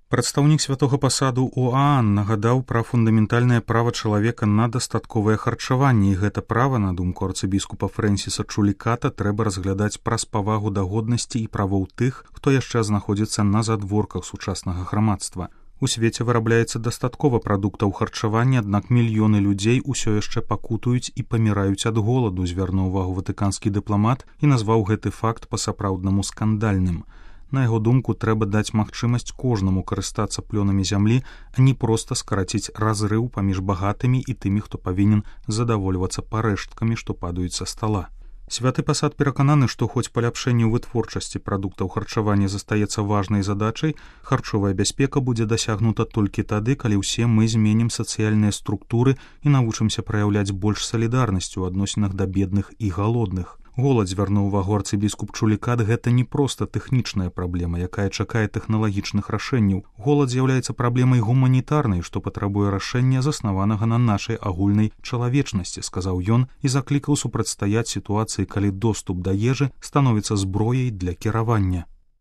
Прадстаўнік святога пасаду ОАН нагадаў пра фундаментальнае права чалавека на дастатковае харчаванне, і гэта права, на думку арцыбіскупа Фрэнсіса Чуліката, трэба разглядаць праз павагу да годнасці і правоў тых, хто яшчэ знаходзіцца на задворках сучаснага грамадства. У свеце вырабляецца дастаткова прадуктаў харчавання, аднак мільёны людзей усё яшчэ пакутуюць і паміраюць ад голаду, звярнуў увагу ватыканскі дыпламат і назваў гэты факт па-сапраўднаму скандальным. На яго думку, трэба даць магчымасць кожнаму карыстацца плёнамі зямлі, а не проста скараціць разрыў паміж багатымі і тымі, хто павінен задавольвацца парэшткамі, што падаюць са стала. Святы пасад перакананы, што хоць паляпшэнне ў вытворчасці прадуктаў харчавання застаецца важнай задачай, харчовая бяспека будзе дасягнута толькі тады, калі ўсе мы зменім сацыяльныя структуры і навучымся праяўляць больш салідарнасць у адносінах да бедных і галодных. Голад, звярнуў увагу арцыбіскуп Чулікат, гэта не проста тэхнічная праблема, якая чакае тэхналагічных рашэнняў. Голад з'яўляецца праблемай гуманітарнай, што патрабуе рашэння, заснаванага на нашай агульнай чалавечнасці, сказаў ён і заклікаў супрацьстаяць сітуацыі, калі доступ да ежы становіцца зброяй для кіравання.